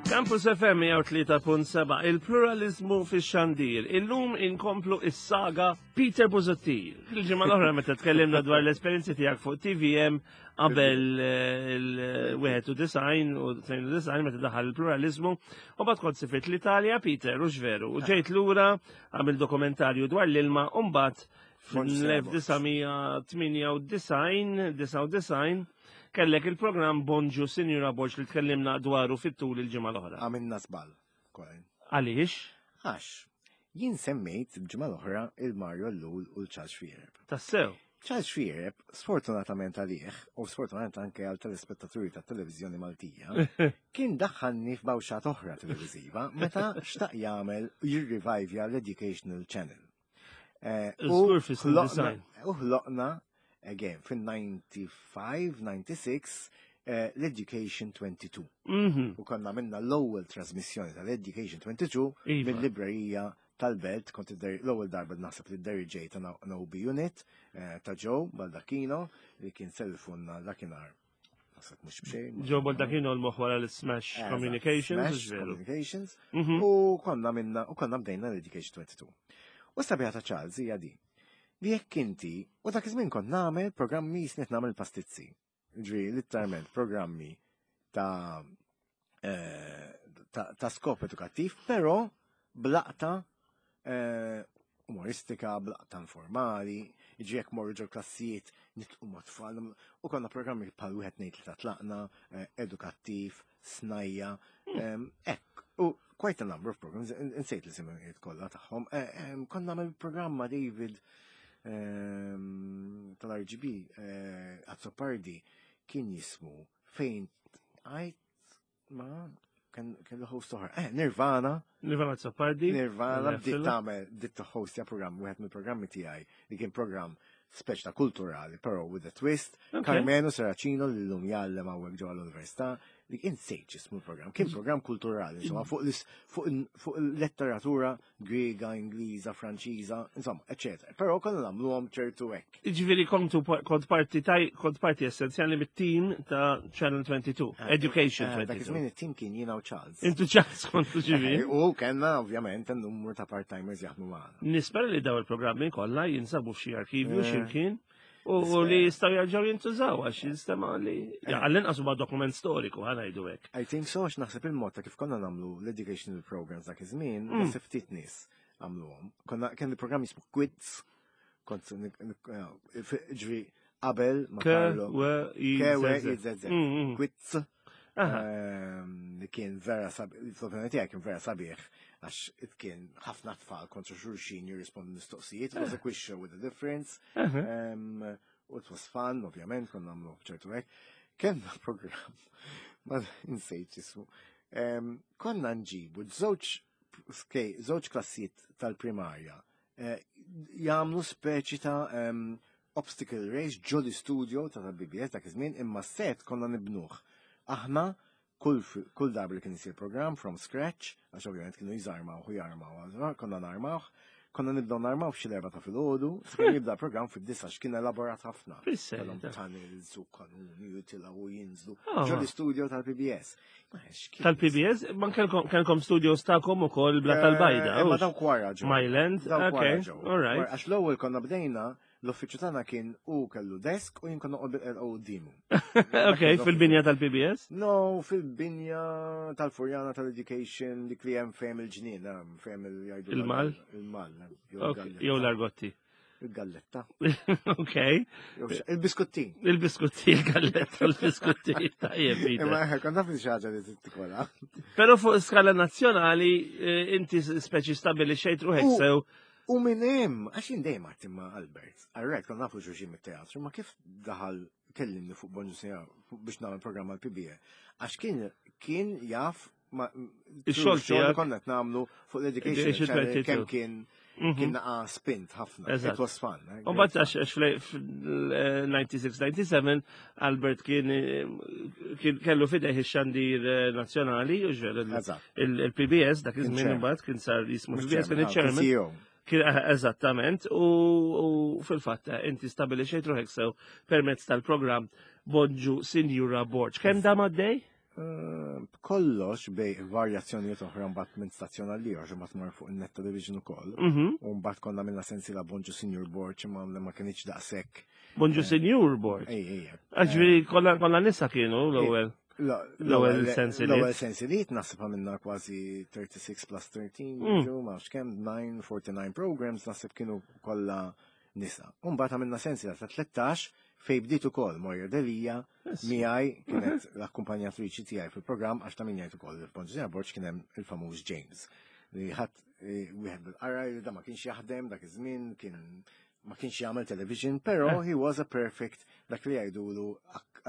Campus FM 103.7 il-pluralizmu fix-xandir. Illum inkomplu is-saga Peter Busuttil. Il-ġimgħa l-oħra meta tkellimna dwar l-esperjenzi tiegħek fuq TVM qabel eh, il-91 u 92 meta daħal il-pluralizmu u bad kont sifirt l-Italja Peter u veru u ġejt lura għamil dokumentarju dwar l-ilma u mbagħad fl-1998 99 kellek il-programm Bonġu Sinjura Borġ li tkellimna dwaru fit-tul il-ġimgħa l-oħra. Għamilna żball, Colin. Għaliex? Għax, jien semmejt il-ġimgħa l-oħra il-Mario Ellul u l-Charles Xuereb. Tassew? Charles Xuereb, sfortunatament għalih, u sfortunatament anke għal telespettaturi tat televiżjoni Maltija, kien daħħalni f'bawxat oħra televiżiva meta xtaq jagħmel jirrivajvja l-Educational Channel. Eh, u ħloqna, again, fin-95, 96, eh, l-Education 22. Mhm. U konna minna l-ewwel trasmissjoni tal-Education 22 iva. mill-librerija tal-belt, kont l-ewwel darba naħseb li d-deriġej ta' OB Unit eh, ta' Joe Baldacchino li kien selfunna dakinhar Naħseb mhux b'xejn. Joe Baldacchino l-moħħ wara l-Smash Communications. Smash Communications. Mhm. U konna minna, u konna bdejna l-Education 22. U sabiħa ta' Charles hija di. Li jekk inti, u dak iż-żmien kont nagħmel programmi jisnet nagħmel pastizzi. Ġri, literalment programmi ta' eh, ta' skop edukattiv, però blaqta eh, umoristika, blaqta informali, jiġi jekk morru ġol klassijiet nitqu ma' tfal, u konna programmi bħal wieħed ngħid li ta' tlaqna, eh, edukattiv, snajja, hmm. ehm, hekk. U quite a number of programs, insejt li simijiet kollha tagħhom. Eh, ehm, konna nagħmel programma David ehm, tal-RGB Azzopardi kien jismu fejn għajt Ma kellu host oħra. Eh, Nirvana. Nirvana Zappardi. Nirvana bdiet tagħmel bdiet hostja programm wieħed mill-programmi tiegħi li kien programm speċ ta' kulturali, però with a twist. Carmeno Serracino li llum jgħallem hawnhekk ġewwa l-università li kien sejt jismu l-programm. Kien programm kulturali, insomma, fuq il-letteratura Griega, Ingliża, Franċiża, insomma, eccetera. Però konna nagħmluhom ċertu hekk. Jiġifieri kontu kont parti taj kont parti essenzjali mit-team ta' Channel 22, eh, Education 22. Eh, dak iż-żmien it-team kien jiena u Charles. Intu Charles kontu ġifieri. Eh, u kellna ovvjament numru ta' part-timers jaħdmu magħna. Nispera li daw il-programmi kollha jinsabu f'xi arkivju x'imkien. U li jistaw jarġaw jintużaw għax jinstema li eh. għall-inqas huwa dokument storiku ħa ngħidu hekk. I think so għax naħseb il-mod ta' kif konna nagħmlu l-educational programs dak iż-żmien, mm. naħseb ftit nies għamluhom. Konna kien il-programm jismu Quiz, kont eh, ġri qabel ma Carlo. K W I Z Z. Mm, mm. Quiz. Ehm, li kien vera sabiħ, l-opinjoni tiegħi kien vera sabiħ, għax kien ħafna tfal kontra xulxin jirrispondu mistoqsijiet, it was a quiz show with a difference. Ehm, u it was fun, ovvjament, konna nagħmlu ċertu hekk. Kenna program, ma nsejt jismu. Ehm, konna nġibu żewġ żewġ klassijiet tal-primarja eh, jagħmlu speċi ta' obstacle race ġo l-istudio ta' tal-BBS dak iż-żmien imma set konna nibnuh. Aħna kull, kull darba li kien isir program from scratch, għax ovvjament kienu jżarmaw u jarmaw, konna narmawh, konna nibdew narmaw f'xi l-erba ta' filgħodu, sakemm jibda program fid-disa x'kien elaborat ħafna. Kellhom tunnels u kanuni u tilgħu u jinżlu. Ah. Ġo l-istudio tal-PBS. Tal-PBS, ma kellkom studios tagħkom ukoll bla tal-bajda. Eh, ma dawk wara ġew. Myland, ok, all right. Għax l-ewwel konna bdejna L-uffiċċju tagħna kien u kellu desk u jien konna noqgħod bil-qerqa quddiemu. Ok, fil-binja tal-PBS? No, fil-binja tal-Furjana tal-Education dik li hemm fejn il-ġnien, fejn il-jgħidu. Il-mal? Il-mal. Jew l-argotti. Il-galletta. Ok. Il-biskuttin. Il-biskuttin, il-galletta, il-biskuttin. Tajjeb, Imma kont naf li xi ħaġa li tikola. Però fuq skala nazzjonali eh, inti speċi stabili xejt ruħek sew U minn hemm, għax jien dejjem għedt imma Albert, għarrek konna nafu xulxin mit-teatru, ma kif daħal kellimni fuq Bonġu Sinjora biex nagħmel programm għal PBE. Għax kien kien jaf ma Ix-xogħol tiegħek. konna qed nagħmlu fuq l-education channel kemm kien mhm. kien naqa spint ħafna. It was fun. Eh, U mbagħad għax fl-96-97 Albert kien kien kellu fideh ix-xandir eh, nazzjonali u ġveru il-PBS dak iż-żmien imbagħad kien sar jismu PBS kien iċ-chairman. Kien eh, eżattament u fil-fatt eh, inti stabilixejt ruħek sew permezz tal-programm Bonġu Sinjura Borg. Kemm dam għaddej? B'kollox bej varjazzjonijiet oħra mbagħad minn stazzjon għal ieħor mbagħad mar fuq in-net television ukoll. U mbagħad konna minna sensiela Bonġu Senior Board imma ma kienx daqshekk. Bonġu eh, Senior Board. Ej, ej. Ġifieri kollha nisa kienu l-ewwel. L-ewwel sensiliet. L-ewwel sensiliet naħseb għamilna kważi 36 plus 13, ma nafx kemm 949 programs naħseb kienu kollha nisa. U mbagħad għamilna sensiela ta' 13 fej bdiet ukoll Moira Delia miegħi kienet l-akkumpanjatriċi tiegħi fil-programm għax ta' min jgħid ukoll il-Ponġina Borġ kien hemm il-famuż James li ħadd eh, wieħed bil-qara li da ma kienx jaħdem dak iż-żmien kien ma kienx jagħmel television, però eh. he was a perfect dak li jgħidulu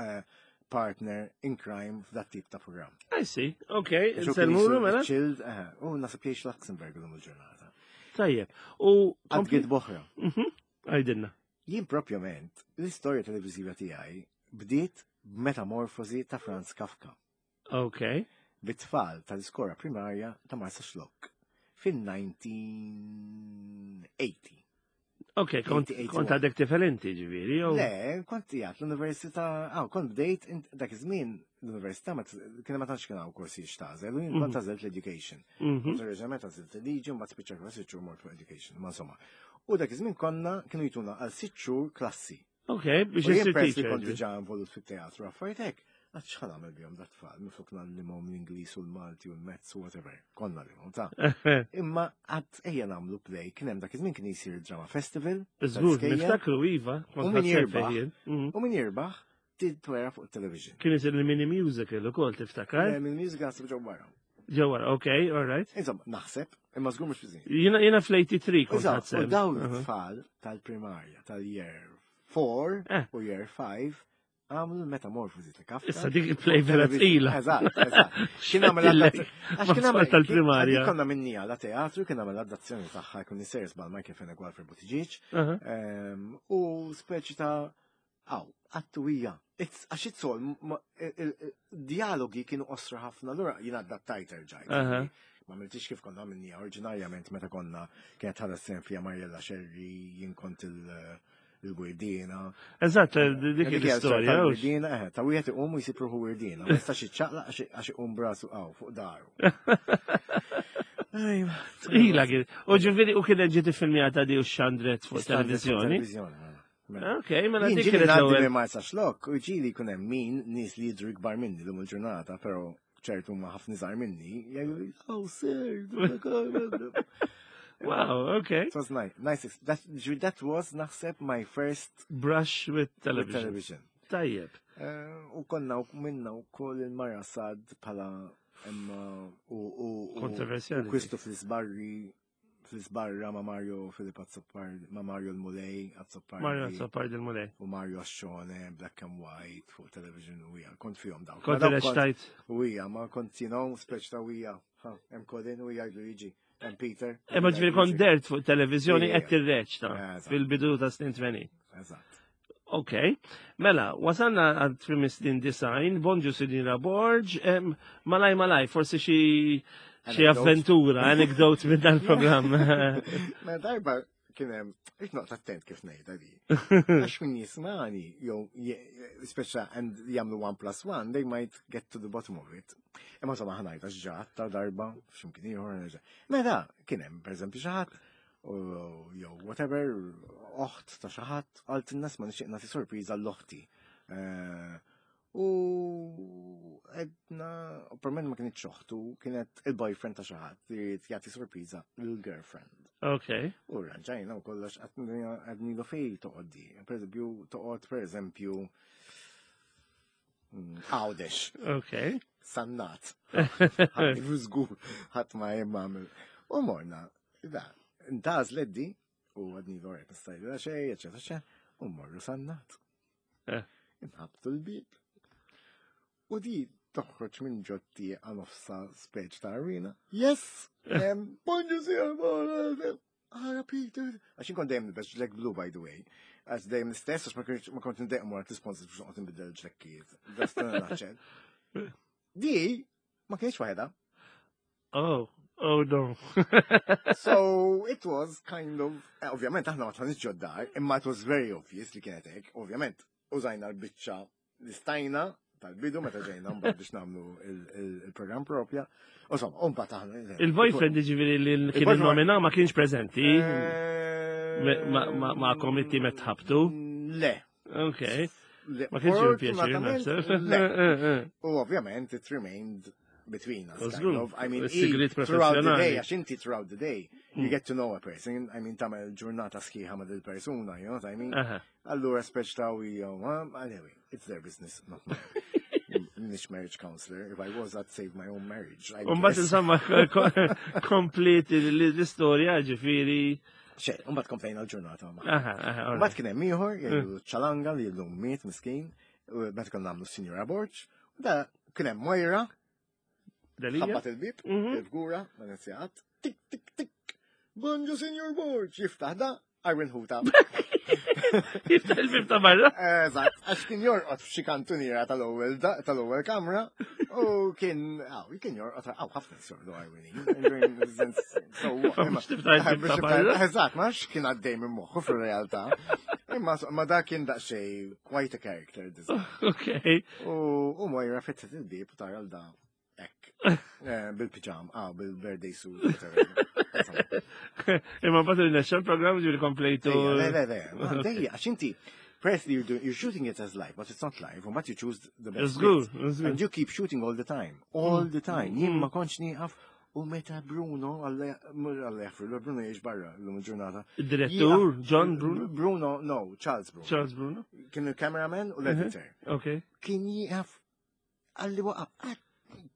eh, partner in crime f'dat tip ta' programm. I see, ok, nsellmulu mela. Chilled, u nasib jgħix Luxemburg l-lum il-ġurnata. Tajjeb, u. Għadgid boħra. Mhm, għajdilna. Jien propjament, l-istorja televiżiva tiegħi bdiet b'metamorfosi ta' Franz Kafka. Ok. Bit-tfal tal-iskora primarja ta' Marsa Xlokk fil-1980. Ok, kont għadek tifel inti ġiviri, jew? Le, kont jgħat l-università, għaw, kont bdejt, dak iż-żmien l-università ma kien ma tantx kien hawn korsi x'tażel, u jien kont mhm. għażilt l-education. Mhm. Kont oriġinalment għażilt il-liġi, mbagħad spiċċa kważi xhur mort fuq education, ma insomma. U dak iż-żmien konna kienu jtuna għal sitt xhur klassi. Ok, biex jisir teacher. Kont diġà involut fit-teatru affarijiet hekk. Għad xħan għamil bihom dat tfal, miflok nallimhom l-Ingliż u l-Malti u l-Mezz u whatever. Konna l ta' Imma għad ejja nagħmlu play, kien hemm dak iż-żmien kien jsir drama festival. Żgur, niftakru iva, u min jirbaħ. Mhm. U min jirbaħ titwera fuq television. Kien isir il-mini musical ukoll tiftakar? Mini musical naħseb ġew wara. Ġew wara, ok, all right. Insomma, naħseb, imma żgur mhux fiżin. Jiena jiena fl-83 kont ħadseb. U dawn it-tfal tal-primarja tal-year 4 eh. u year 5 għamlu l-metamorfosi ta' Kafka. Issa dik il-play vera tqila. Eżatt, eżatt. Kien għamel għax kien għamel tal-primarja. Konna minni għala teatru, kien għamel adazzjoni tagħha jkun nisser żball Michael Fenech u Alfred Buttigieg. Ehm, u speċi ta' Aw, għattu hija. Għax it's all, dialogi kienu osra ħafna, allura jien adattajt erġajt. Ma miltix kif konna minni oriġinarjament meta konna kienet ħada sen fija Mariella Sherry, jien kont il-wirdiena. Eżatt, dik l-istorja. Wirdiena, eh, ta' wieħed iqum u jsib ruħu wirdiena. Ma jistax iċċaqlaq għax iqum brasu għaw fuq daru. Tqila kien. U ġifieri u kienet ġiet iffilmjata di u xandret fuq televizjoni. Mela. Mela. Ok, mela dik kienet l-ewwel. Minn Marsa Xlokk u ġieli jkun hemm min nies li jidhru ikbar minni lum il-ġurnata, però ċertu ma ħafna iżgħar minni, jgħidu, oh sir, Wow, okay. It was nice. Nice. That, that was, naħseb, my first brush with television. With television. Tajjeb. Eh, u konna u minna u koll il-mara sad pala emma u u kontroversjali. Kristo fl-isbarri fl-isbarra ma' Mario Filip Azzopardi, ma' Mario l-Mulej Azzopardi. Mario Azzopardi l-Mulej. U Mario Ascione, Black and White, fuq television u hija, kont fihom dawk. Kont reċtajt. U hija, ma kont, you know, speċ ta' hija, hemm Colin u hija Luigi, hemm Peter. Imma ġifieri kont dert fuq televizjoni qed tirreċta fil-bidu ta' snin 80. Eżatt. Ok, mela, wasalna għad trim snin design, bonġu Sinjura Borg, malaj malaj, forsi xi xi avventura, anekdot minn dan programm. Mela darba kien hemm, irrid noqgħod attent kif ngħidha di. Għax min jismani, jew speċa and jagħmlu one plus one, they might get to the bottom of it. Imma insomma ħanajt għax ġat ta' darba f'ximkien ieħor. Mela kien hemm pereżempju xi ħadd jew whatever, oħt ta' xi ħadd, għalt in-nas ma nixtieq nagħti sorpriża l-oħti. Eh, u edna, per ma kienet oħtu, kienet il-boyfriend ta' xi ħadd li jrid jagħti sorpriża lill-girlfriend. Ok. U ranġajna u kollox għadnilu fej toqgħod di. Per eżempju, toqgħod per eżempju mm, Għawdex. Ok. Sannat. Ħadd żgur ħadd ma hemm għamel. U morna, da, ntaż leddi u għadni l-orek nistajdu xej, eċetera, eċetera, u morru sannat. Eh. Inħabtu l-bib. U di toħroġ minn ġotti għanofsa speċ ta' arena. Yes! Bonġu sija, Ara Peter. Għax inkun dejjem nilbes ġlek blu by the way. Għax dejjem l-istess għax ma kont ndejjem wara l-sponsors biex noqgħod nbiddel ġlekkijiet. Di ma kienx waħedha. Oh, oh no. so it was kind of, eh, ovvjament aħna ma tħanix ġoddar, imma it was very obvious li kienet hekk, ovvjament użajna l-biċċa li stajna. tal-bidu meta ġejna mbagħad biex nagħmlu il-programm propja. Insomma, u mbagħad aħna. Il-boyfriend ġifieri li kien nomina ma kienx preżenti. Eh, ma komitti met ħabtu. Le. Ok. Ma kienx ju pjaċir, naħseb. Eh, eh, u ovvjament it remained between us. Kind of. I mean, throughout the day, għax inti throughout the day, you get to know a person. I mean, tamel ġurnata sħiħa ma' dil-persuna, you know what I mean? Allura speċ ta' u anyway, it's their business, not mine. Nix marriage counselor, if I was, I'd save my own marriage. Umbat insomma, komplet l-istoria ġifiri. Xe, umbat komplejna l-ġurnata. Umbat kien hemm ieħor, jgħidu ċalanga li llum miet miskin, meta konna nagħmlu Sinjura Borġ, u da kien hemm Moira, ħabbat il-bib, mhm. il-fgura, ma nizjat, tik tik tik, Bonġu Sinjur Borġ, jiftaħ da, Arwin Huta. Jiftaħ il-bib ta' barra. Eżatt, għax kien jorqod f'xi kantuniera tal-ewwel tal-ewwel kamra u kien aw, kien jorqod aw ħafna jorqdu Arwini. Eżatt, ma nafx kien għaddej minn moħħu fir-realtà. Imma ma da kien daqsxejn quite a character design. Okay. U Moira fetħet il-bib u tara l-da Ek. Eh, bil-pijam, ah, bil-birthday suit. Imma bat il-nexxa l-programm ġuri komplejtu. Le, le, le, dejja, għax inti, firstly you're, doing, you're shooting it as live, but it's not live, but you choose the best. It's good, it's good. And you keep shooting all the time, all the time. Jien ma kontx nieqaf u meta Bruno, għalla jaffru, Bruno jiex barra l-lum il-ġurnata. Il-direttur, John Bruno? Bruno, no, Charles Bruno. Charles Bruno. Kien il-cameraman u l-editor. Ok. Kien jieqaf Għalli waqa'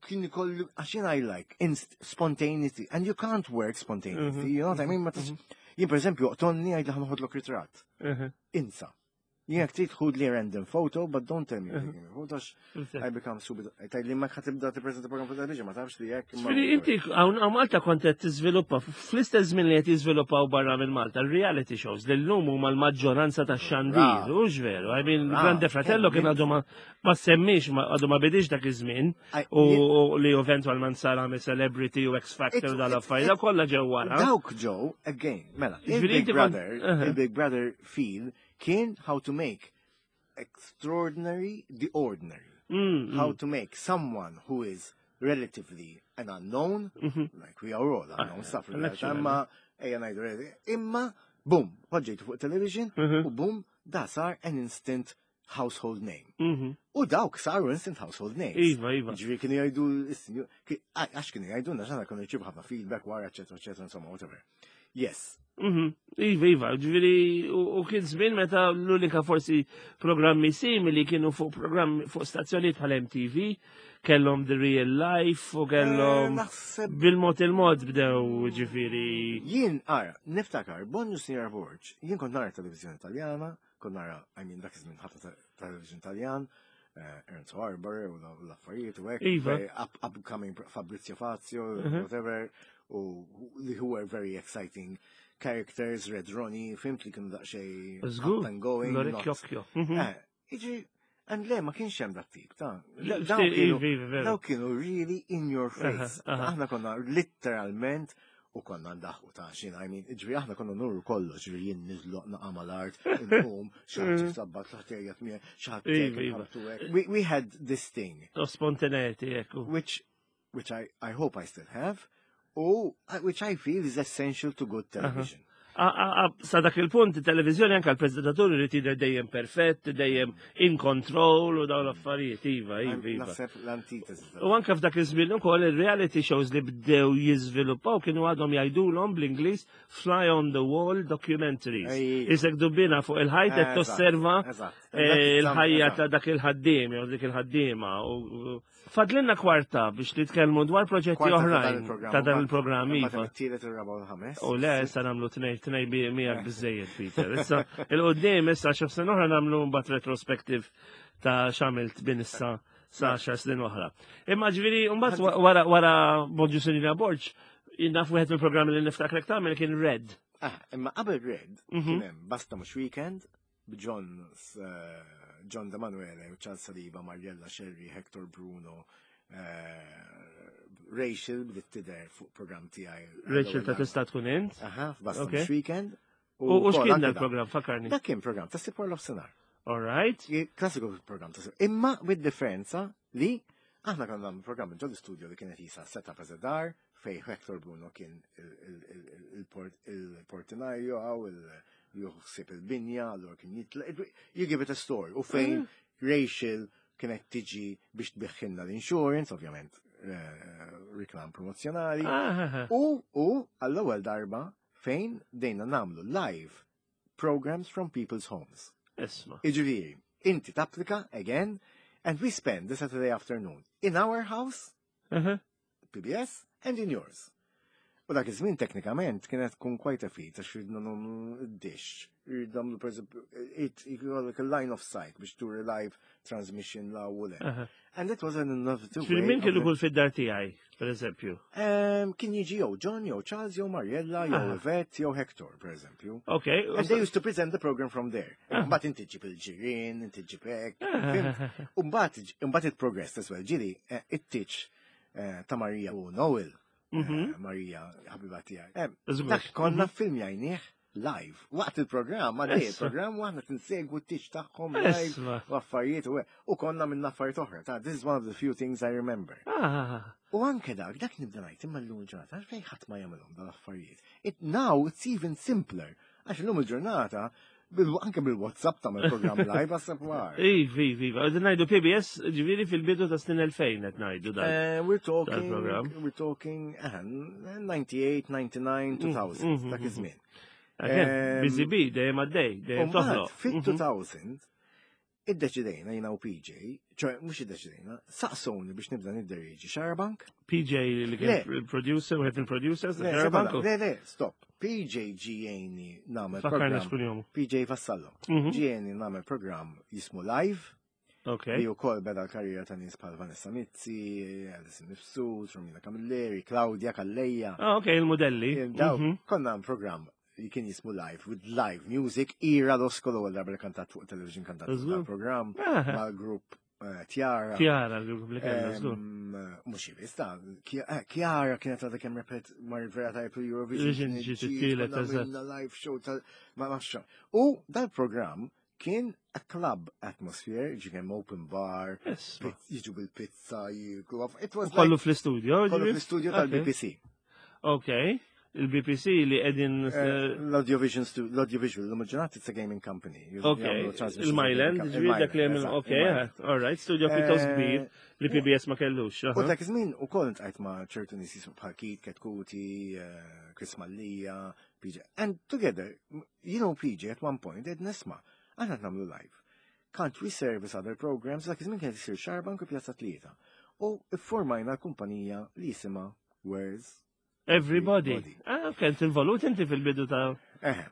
kien ikollu għax jien I like inst spontaneity and you can't work spontaneously, mhm. you know what I mean? Ma mhm. Jien per eżempju oqtonni għajd li ħanħodlok ritratt. Mhm. Insa. Jien jekk trid ħud li random photo, but don't tell me you're taking a photo, I become super. Tgħid li ma ħatibda tippreżenta program fuq television, ma tafx li jekk. Ġifieri inti hawn Malta kont qed tiżviluppa fl-istess żmien li qed jiżviluppaw barra minn Malta reality shows li llum huma l-maġġoranza tax-xandir, hux veru? I mean, Grande Fratello kien għadu ma semmix, għadu ma bidix dak iż-żmien u li eventualment sar għamil celebrity u X Factor dal-affarijiet, kollha ġew wara. Dawk ġew, again, mela, il-Big Brother, il-Big Brother feel kien how to make extraordinary the ordinary. How to make someone who is relatively an unknown, mhm. like we are all unknown, ah, stuff imma ejja ngħidu imma boom, poġġejtu fuq television mhm. u boom, da sar an instant household name. Mhm. U dawk saru instant household names. Iva, iva. Ġifieri kienu jgħidu, għax kienu jgħidu, għax kienu jċibu ħafna feedback wara, eccetera, eccetera, insomma, whatever. Yes. Mhm. Iva, iva, ġifieri u kien żmien meta l-unika forsi programmi simili kienu fuq programmi fuq stazzjonijiet bħal MTV, kellhom The Real Life u kellhom eh, bil-mod il-mod bdew ġifieri. Jien, ara, niftakar, Bonġu Sinjora Borg, jien kont nara televizjoni Taljana, Kont nara, I mean, dak iż-żmien ħafna television Taljan, eh, Ernst Harbour u l-affarijiet u hekk. Iva. Upcoming Fabrizio Fazio, mhm. whatever, u li who were very exciting characters, Red Ronnie, fimt li kienu daqsxejn up and going. L-orecchio. Mhm. Eh, iġi, and le, ma kienx hemm dak tip, ta' Daw kienu really in your face. Aħna konna literalment u konna ndaħu ta' xin, I mean, ġvi aħna konna nurru kollox, ġvi jien nizloq naqa mal-art, nqum, xaħat sabbat, xaħat jgħat mie, xaħat iva. We had this thing. O spontaneity, ekku. Which, which I, I hope I still have, u which I feel is essential to good television. Sa dak il-punt, il-televizjoni anka l-prezentaturi li tidher dejjem perfett, dejjem in control u dawn l-affarijiet, iva, iva, iva. Naħseb l-antitesi. U anka f'dak iż-żmien ukoll il-reality shows li bdew jiżviluppaw kienu għadhom jgħidulhom bl-Ingliż fly on the wall documentaries. Isek dubbina fuq il-ħajt qed tosserva eh, il-ħajja ta' dak il-ħaddiem jew dik il-ħaddiema. Fadlinna kwarta biex nitkellmu dwar proġetti oħrajn ta' dan il-programm. Iva. U le, issa nagħmlu tnej tnej miegħek eh. biżejjed, Peter. Issa il-qudiem issa xi sena oħra nagħmlu mbagħad retrospective ta' x'għamilt bin issa sa' xar snin oħra. Imma ġifieri mbagħad wara wara Bonġu Sinina Borġ, naf wieħed mill-programmi li niftakrek tagħmel kien Red. Ah, imma qabel Red, mhm. kien hemm Basta mhux weekend, b'John eh, John D'Emanuele, Charles Saliba, Mariella Sherry, Hector Bruno, eh, Rachel bdiet tidher fuq programm tiegħi. Rachel ta' tista' tkun int? Aha, f'Basta okay. Weekend. U x'kien dal-programm, fakarni? Dak kien programm ta' Sipor Lofsenar. All right. Klassiku program ta' Imma with differenza li aħna konna nagħmlu programm ġol studio li kienet jisa setup as a dar fej Hector Bruno kien il-portinario għaw il-juħsib il-binja, allura kien jitla. You give it a story. U fejn Rachel kienet tiġi biex tbiħħilna l-insurance, ovvjament reklam promozjonali. U għall-ewwel darba fejn dejna namlu live programs from people's homes. Isma. Iġifieri, inti tapplika again, and we spend the Saturday afternoon in our house, PBS, and in yours. U dak iż-żmien teknikament kienet tkun quite a feat għax ridna nagħmlu dish, ridna nagħmlu pereżempju it a line of sight biex turi live transmission la u le. And it was an innovative way. Min kellu kull fid-dar tiegħi, per eżempju? Kien jiġi jew John, jew Charles, jew Mariella, jew Yvette, jew Hector, per eżempju. Ok. And they used to present the program from there. Mbagħad inti ġib il-ġirien, inti ġib hekk. U mbagħad it progressed as well. Ġieli, it-tiċ ta' Maria u Noel. Maria, ħabiba tiegħi. Dak konna filmjajnieh live. Waqt il-programm, għaddej il-programm, u aħna tinsegwu t-tiċ tagħhom live u affarijiet u konna minn affarijiet oħra. Ta' this is one of the few things I remember. U anke dak, dak nibda ngħid imma llum il-ġurnata, għalfejn ħadd ma jagħmilhom dal-affarijiet. Now it's even simpler. Għax illum il-ġurnata anke bil-WhatsApp tagħmel programm live għas war. Iva, iva, iva. Għadin ngħidu PBS ġifieri fil-bidu ta' snin 2000 qed ngħidu dan. We're talking, we're talking, 98, 99, 2000, dak iż-żmien. Busy bee, dejjem għaddej, dejjem toħloq. Fit-2000, iddeċidejna jiena u PJ, ċoħe mhux iddeċidejna, saqsuni biex nibda nidderieġi Xarabank. PJ li kien producer, u il producers ta' Xarabank? Le, le, stop. PJ ġieni nagħmel program. PJ Vassallo. Ġieni nagħmel program jismu Live. Ok. Li wkoll beda l-karriera ta' nies bħal Vanessa Mizzi, Alison Mifsud, Romina Camilleri, Claudia Calleja. Ah, ok, il-modelli. Daw, konna programm li kien jismu live, with live music, Ira Losco l-ewwel darba li kantat fuq television kantat fuq program mal-grupp Tiara. Tiara, l-grupp li kellna, żgur. Mhux biss, ta' Chiara kienet għadha kemm repet mar vera tajb Eurovision. Ġiet it-tielet, eżatt. Live show tal ma nafx. U dal-programm kien a club atmosphere, ġi kemm open bar, jiġu bil-pizza, jiklu. It was Kollu fl-istudio, Kollu fl-istudio tal-BBC. Ok. Il-BBC li edin... L-Audiovision, l-Audiovisual, l-immaġinat it's a gaming company. Ok, il-Myland, ġifieri dak li għamil, ok, all right, studio pjuttost kbir li PBS ma kellux. U dak iż-żmien ukoll intqajt ma' ċertu nies jismu bħal Keith Ketkuti, Chris Mallia, PJ. And together, you know PJ at one point, ed nisma, aħna nagħmlu live. Can't we service other programs? Dak iż-żmien kienet isir Xarabank u Pjazza Tlieta. U iffurmajna l-kumpanija li jisimha Where's Everybody. Ah, kent involut inti fil-bidu ta'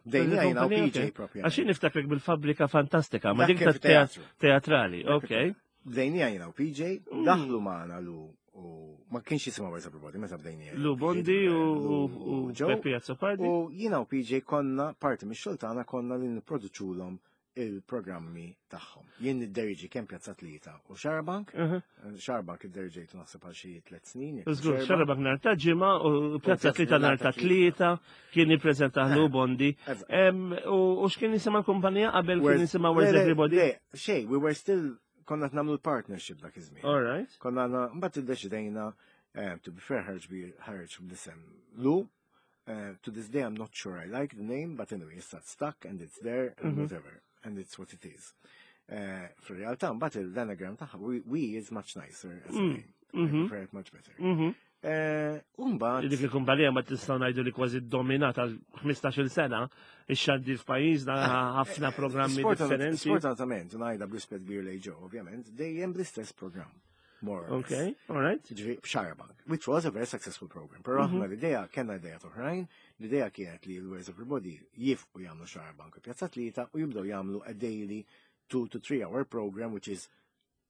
Dejna jina u PJ propja. Għaxin niftakrek bil-fabrika fantastika, ma dik ta' teatrali, ok. Bdejnija jina u PJ, daħlu maħna lu u ma kienx jisimha Where's Everybody, meta bdejnija. Lu Bondi u Peppi Azzopardi. U jina u PJ konna, parti mix-xogħol tagħna konna li nipproduċulhom il-programmi tagħhom. Jien nidderieġi kemm Pjazza Tlieta u Xarabank. Xarabank idderieġejtu naħseb għal xi 3 snin. Żgur, Xarabank nhar ta' ġimgħa u Pjazza Tlieta nhar ta' Tlieta kien jippreżentah Lu Bondi. U x'kien jisimha l-kumpanija qabel kien jisimha Where's Everybody? Le, xejn, we were still konna qed nagħmlu l-partnership dak iż-żmien. All right. Konna għandna, mbagħad iddeċidejna, to be fair, ħarġ bi ħarġ bl-isem Lu. To this day, I'm not sure I like the name, but anyway, it's not stuck and it's there and whatever, and it's what it is. Fil-realtà, mbagħad l-anagram tagħha, we is much nicer as a name. I prefer it much better. Mbagħad Dik il-kumpanija ma tistgħu ngħidu li kważi dominata għal 15-il sena, ix-xandir f'pajjiżna ħafna programmi differenti. Sfortunatament, ngħidha b'rispett kbir lejn Joe, ovvjament, dejjem bl-istess programm. More or less. Okay, all right. Ġifieri, b'Xarabank, which was a very successful program. Però aħna l-idea, kellna idea oħrajn, l-idea kienet li l-Where's Everybody jifqu jagħmlu Xarabank u Pjazza Tlieta u jibdew jagħmlu a daily 2 to 3 hour program, which is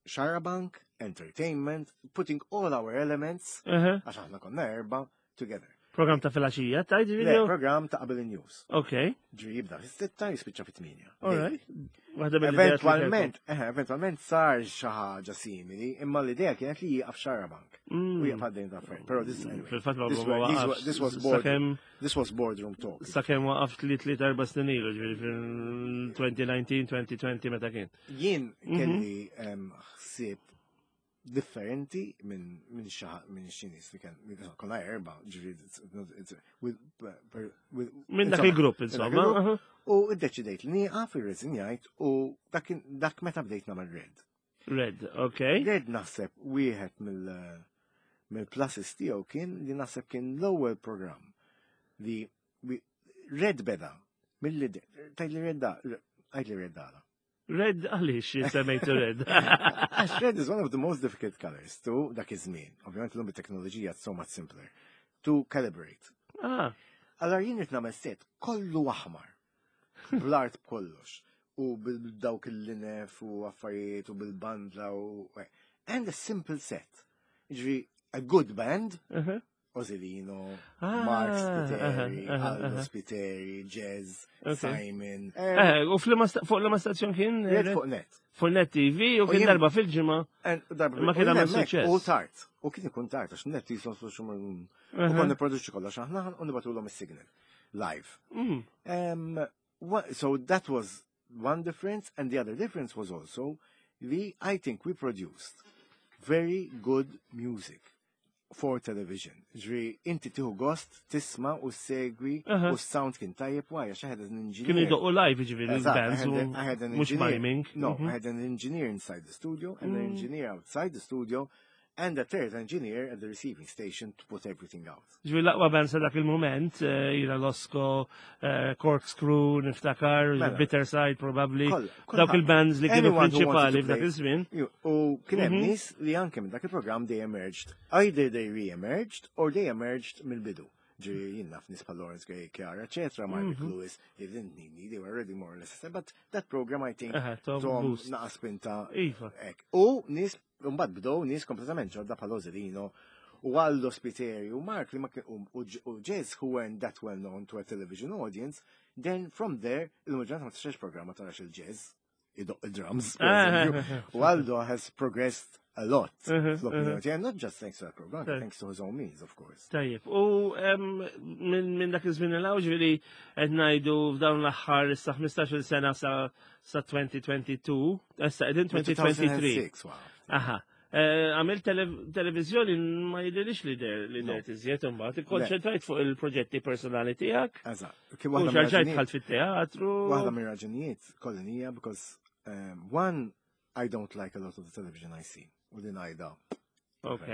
Xarabank, entertainment, putting all our elements, għax aħna konna erba, together. Program ta' filgħaxija, tajt Le, video? program ta' qabel il-news. Ok, Ġri jibda fis-sitta jispiċċa fit-tminja. all right. Waħda mill-ideat li Eventualment, eh, eventualment sar xi ħaġa simili, imma l-idea kienet li jieqaf Xarabank. kelkom. U jieqaf għaddejn ta' affarijiet. Però this anyway. Fil-fatt ma This ma were- these waqafx. were- this was board- Sakemm This was boardroom talk. sakemm waqaf tliet tliet erba' snin ilu, ġifieri fil-2019, 2020 meta kien. Jien kelli em, ħsieb differenti minn minn xi minn xi nies li kien konna erba, ġifieri it's- it's- with- with- Minn dak insomma, il-grupp, minn dak insomma. il-grupp. aha. U iddeċidejt li nieqaf irreżinjajt u dak kien- dak meta bdejt nagħmel red. Red, ok. Red naħseb wieħed mill mill-pluses tiegħu kien li naħseb kien l-ewwel programm li wi- Red beda mill tajt li Red da għajt li Red dala. Red, għaliex semmejtu red? Għax red is one of the most difficult colors to dak iż-żmien. Ovvjament illum bit-teknoloġija it's so much simpler. To calibrate. Ah, Allora jien qed nagħmel set kollu aħmar. Bl-art b'kollox. U bil-dawk il-linef u affarijiet u bil-bandla u. And a simple set. Ġifieri, a good band, aha. Ozilino, Ah, Mark Spiteri, aha, aha, Aldo aha. Spiteri, Jazz, Ok. Simon. Eh, u fl-ma sta- fuq l-ma stazzjon kien? Red fuq net. Fuq Net TV u U kien jien- darba fil-ġimgħa. And darba- Ma kien u għamel hemmhekk suċċess. U tard. U kien ikun tard, għax net jisom xumur. U konna produċi kollox aħna u nibatulhom is-signal. Live. So that was one difference, and the other difference was also the I think we produced very good music for television. Ġri, inti tiħu gost, tisma u segwi u sound kien tajjeb why, għax I had an engineer. Kienu jdoqqu live ġifieri Eżatt, I l-bands had u I had an mhux engineer. miming. No, I had an engineer inside the studio and an engineer outside the studio and a third engineer at the receiving station to put everything out. Ġifieri l-aqwa band sa dak il-moment, jira Losco, Corkscrew, niftakar, Mela. Bitter Side probably. Kollha, Dawk il-bands li kienu Anyone who wanted prinċipali to f'dak play. iż-żmien. U kien hemm nies li anke minn dak il-programm they emerged. Either they re-emerged or they emerged mill-bidu. Ġiri jien naf nies bħal Lawrence Gray, Chiara, eccetera, Mark Lewis, they didn't need me, they were already more or less. But that program, I think, Aha, Tom Tom boost. naqa spinta Iva. Ek. U nies, mbagħad bdew nies kompletament ġodda bħal Ozilino u Aldo Spiteri u Mark li ma kien u Jazz who weren't that well known to a television audience, then from there, il-maġġoranza ma tixrex programma ma tarax il-jazz, idoq il-drums. per eżempju. U Aldo has progressed a lot fl-opinjoni tiegħi, not just thanks to that program, thanks to his own means, of course. Tajjeb, u minn dak iż-żmien il ġifieri qed ngħidu f'dawn l-aħħar issa 15-il sena sa sa 2022, issa qegħdin 2023. 2006, wow. Aha. Għamil televizjoni ma jidhirlix li der li No. der iżjed imbagħad, ikkonċentrajt fuq il-proġetti personali tiegħek. Eżatt. Kien U waħda xarġajt mir-raġunijiet- dħalt fit-teatru. Waħda mir-raġunijiet kollinija because one, I don't like a lot of the television I see. U din għajda. Ok.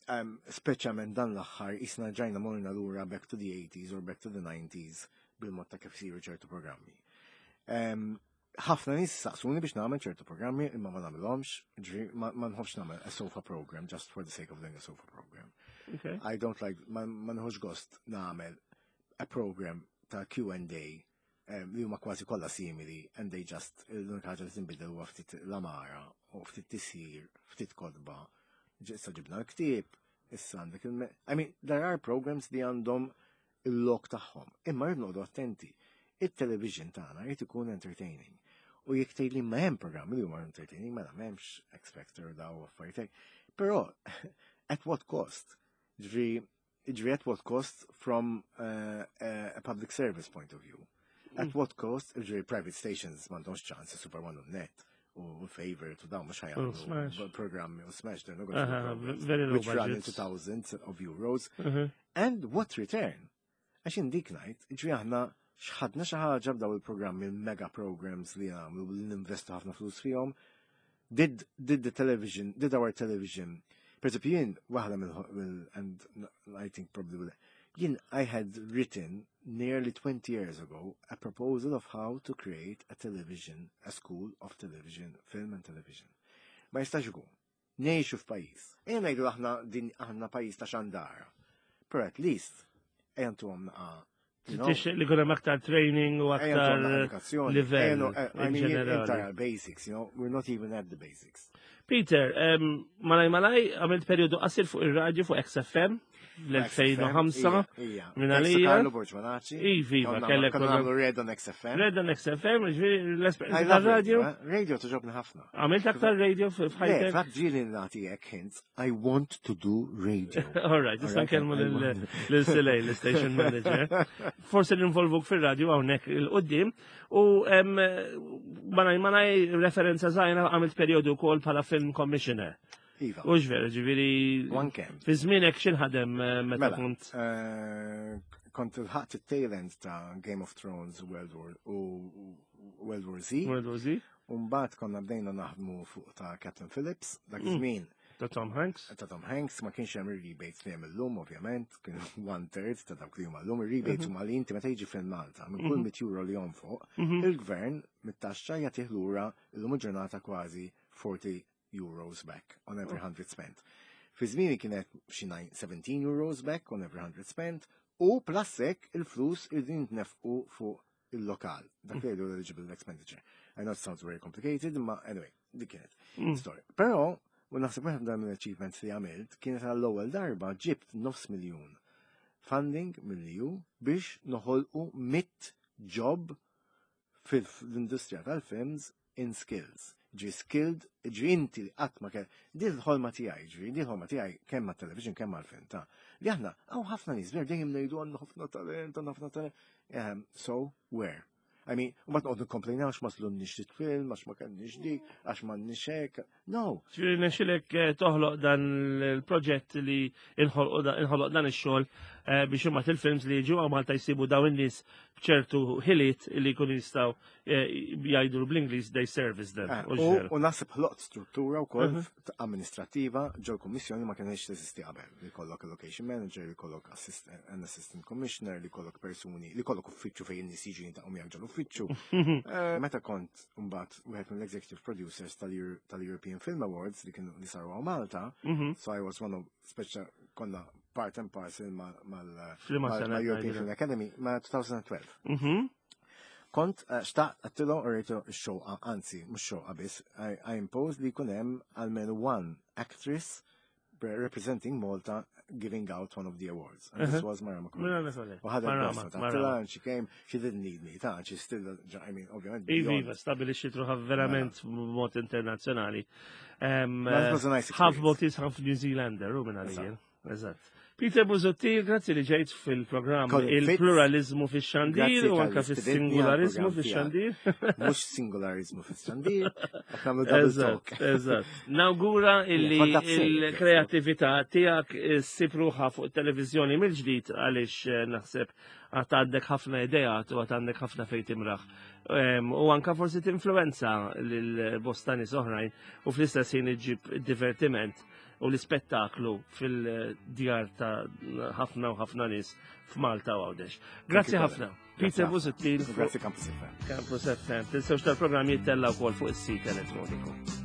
Speċjalment dan l-aħħar isna ġajna morna lura back to the 80s or back to the 90s bil-mod ta' kif siru ċertu programmi. Ħafna nies saqsuni biex nagħmel ċertu programmi imma ma nagħmilhomx, ġifieri ma nħobbx nagħmel a sofa program just for the sake of doing a sofa program. Ok. I don't like, ma nħobbx gost nagħmel a program ta' Q&A li huma kważi kollha simili and they just l-unika ħaġa li tinbidel huwa ftit l-amara u ftit tisir, ftit kodba. Issa ġibna l-ktieb, issa għandek il I mean, there are programs li għandhom il-lok tagħhom, imma rrid noqogħdu attenti. Il-television tagħna jrid ikun entertaining. U jekk tgħid li ma hemm programmi li huma entertaining, mela m'hemmx X Factor daw affarijiet hekk. Però at what cost? Ġifieri at what cost from a public service point of view? At what cost? Ġifieri private stations m'għandhomx ċans, Super One u Net u Favorite u dawn mhux U ħa jagħmlu Smash. programmi u Smash, they're not going to do programs very low which run budgets. into thousands of euros. And what return? Għax indik ngħid, ġifieri aħna xħadna xi ħaġa b'daw il-programmi, il-mega programs li għamlu li ninvestu ħafna flus fihom. Did the television, did our television, per eżempju jien waħda mill, and I think probably will, jien I had written nearly 20 years ago a proposal of how to create a television, a school of television, film and television. Ma jistax ikun. Ngħixu f'pajjiż. Ejja ngħidu aħna din aħna pajjiż ta' xandara. Però at least ejja ntuhom naqa. you know, Tixtieq li jkun hemm aktar training u ejja ntuhom naqa aktar edukazzjoni. livell Ejja I in mean, ġenerali. entire basics, you know, we're not even at the basics. Peter, malaj malaj għamilt periodu qasir fuq ir-radju fuq XFM l-2005. Minn għalija. Carlo Borg Manaci. Ivi, ma kellek. Konna nagħmlu Red on XFM. Red on XFM, ġifieri l-esperjenza tar-radju. Eh? Radio toġobni ħafna. Għamilt aktar radio f'ħajtek? Fatt ġieli nagħti hekk hints, I want to do radio. All right, issa nkellmu lil Silej, l-station manager. Forsi ninvolvuk fir-radio hawnhekk il-qudiem u manaj manaj referenza żgħira għamilt perjodu wkoll bħala film commissioner. Iva. U ġveru, ġiviri. One Fi żmienek xinħadem eh, meta mela, kont. Eh, kont il-ħat il-tail end ta' Game of Thrones World War u World War Z. World War Z. Umbat konna bdejna naħdmu fuq ta' Captain Phillips, dak mm. iż-żmien. Ta' Tom Hanks? Ta' Tom Hanks, ma kienx hemm ir-rebates li hemm illum, ovvjament, kien one third ta' dawk li huma llum, ir-rebates mm-hmm. huma li inti meta jiġi film Malta, minn kull 100 mm-hmm. euro li jonfoq, mm-hmm. il-gvern mit-taxxa jagħtih lura illum il-ġurnata kważi 40 euros back on every 100 oh. spent. Fi żmieni kienet xi 17 euros back on every 100 spent u plus hekk il-flus irridu jintnefqu fuq il-lokal. Dak li jgħidu eligible expenditure. I know it sounds very complicated, ma anyway, dik kienet mm. story. Però, u naħseb wieħed dan mill-achievements li għamilt kienet għall-ewwel darba ġibt nofs miljun funding mill-EU biex noħolqu mit job fil-industrija tal-films in skills. Ġi skilled, ġi inti li qatt ma kell, din l-ħolma tiegħi, ġi din l-ħolma tiegħi kemm mat-television kemm mal-film ta' li aħna hawn ħafna nies ver dejjem ngħidu għandna ħafna talent, għandna ħafna talent. Ehm, so where? I mean, u ma tqogħdu komplejna għax ma slunniex dit-film, għax ma kellniex dik, għax ma hekk. No. Ġifieri nexxilek eh, toħloq dan il-proġett li inħoloq dan ix-xogħol eh, biex imma il-films li jiġu għaw Malta jsibu dawn in-nies b'ċertu ħiliet li jkunu jistgħu eh, jgħidu bl-Ingliż they service them. Eh, u naħseb ħloqt struttura wkoll mhm. amministrattiva ġol kummissjoni ma kienx teżisti qabel. Li kollok location manager, li kollok an assistant commissioner, li kollok persuni, li kollok uffiċċju fejn nies jiġu jintaqgħu miegħek ġol uffiċċju. Eh, meta kont mbagħad wieħed mill-executive producers tal-European Film Awards li kienu li saru Malta, mhm. so I was one of speċa konna part and parcel mal-European Film Academy ma' 2012. Kont eh, xtaqt għattilhom u rejtu x-xoqa, anzi, mhux xoqa biss, I imposed li jkun hemm almenu one actress representing Malta giving out one of the awards. And this was Marama Marama U ħadet gosta ta' and she came, she didn't need me, ta' she still, I mean, ovvjament. Iva, iva, stabilixxi truħa verament mela. mod internazzjonali. Half Maltese, half New Zealander, u minn għalija. Eżatt. Peter Busuttil, grazzi li ġejt fil-programm il-pluralizmu fix-xandir u anka fis-singularizmu fix-xandir. Mhux singularizmu fix-xandir, Eżatt, eżatt. Nawgura illi il-kreatività tiegħek ssib ruħha fuq it-televiżjoni mill-ġdid għaliex eh, naħseb għad għandek ħafna ideat u għad għandek ħafna fejn timraħ. U anka forsi tinfluenza lil bosta nies oħrajn u fl-istess ħin iġġib divertiment u l-ispettaklu fil-djar ta' ħafna u ħafna nies f'Malta u Għawdex. Grazzi ħafna. Peter Busuttil. Grazzi Campus FM. Campus FM. Tinsewx tal-programm jittella wkoll fuq is-sit elettroniku.